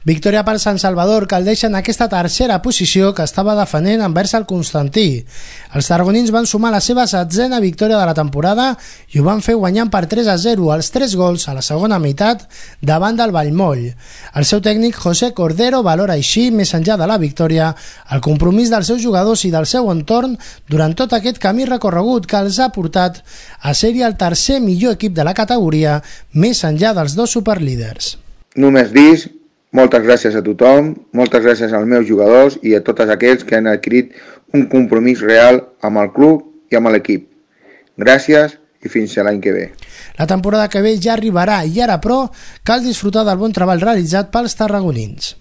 Victòria per Sant Salvador, que el deixa en aquesta tercera posició que estava defendent envers el Constantí. Els tarragonins van sumar la seva 7a victòria de la temporada i ho van fer guanyant per 3-0 els 3 gols a la segona meitat davant del Vallmoll. El seu tècnic José Cordero valora així, més enllà de la victòria, el compromís dels seus jugadors i del seu entorn durant tot aquest camí recorregut que els ha portat a ser-hi el tercer millor equip de la categoria, més enllà dels 2 superlíders. Només dir moltes gràcies a tothom, moltes gràcies als meus jugadors i a tots aquells que han adquirit un compromís real amb el club i amb l'equip. Gràcies i fins a l'any que ve. La temporada que ve ja arribarà i ara, però, cal disfrutar del bon treball realitzat pels tarragonins.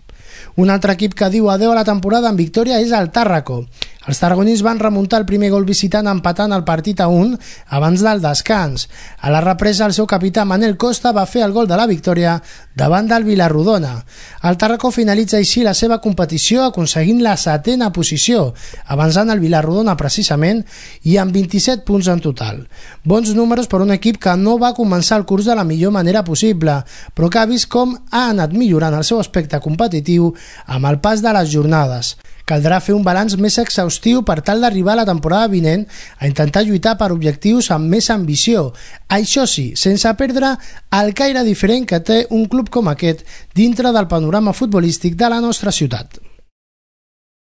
Un altre equip que diu adeu a la temporada en victòria és el Tàrraco. Els tarragonins van remuntar el primer gol visitant empatant el partit a 1 abans del descans. A la represa, el seu capità Manel Costa va fer el gol de la victòria davant del Vilarrodona. El Tàrraco finalitza així la seva competició aconseguint la 7a posició, avançant el Vilarrodona precisament i amb 27 punts en total. Bons números per un equip que no va començar el curs de la millor manera possible, però que ha vist com ha anat millorant el seu aspecte competitiu amb el pas de les jornades. Caldrà fer un balanç més exhaustiu per tal d'arribar a la temporada vinent a intentar lluitar per objectius amb més ambició. Això sí, sense perdre el caire diferent que té un club com aquest dintre del panorama futbolístic de la nostra ciutat.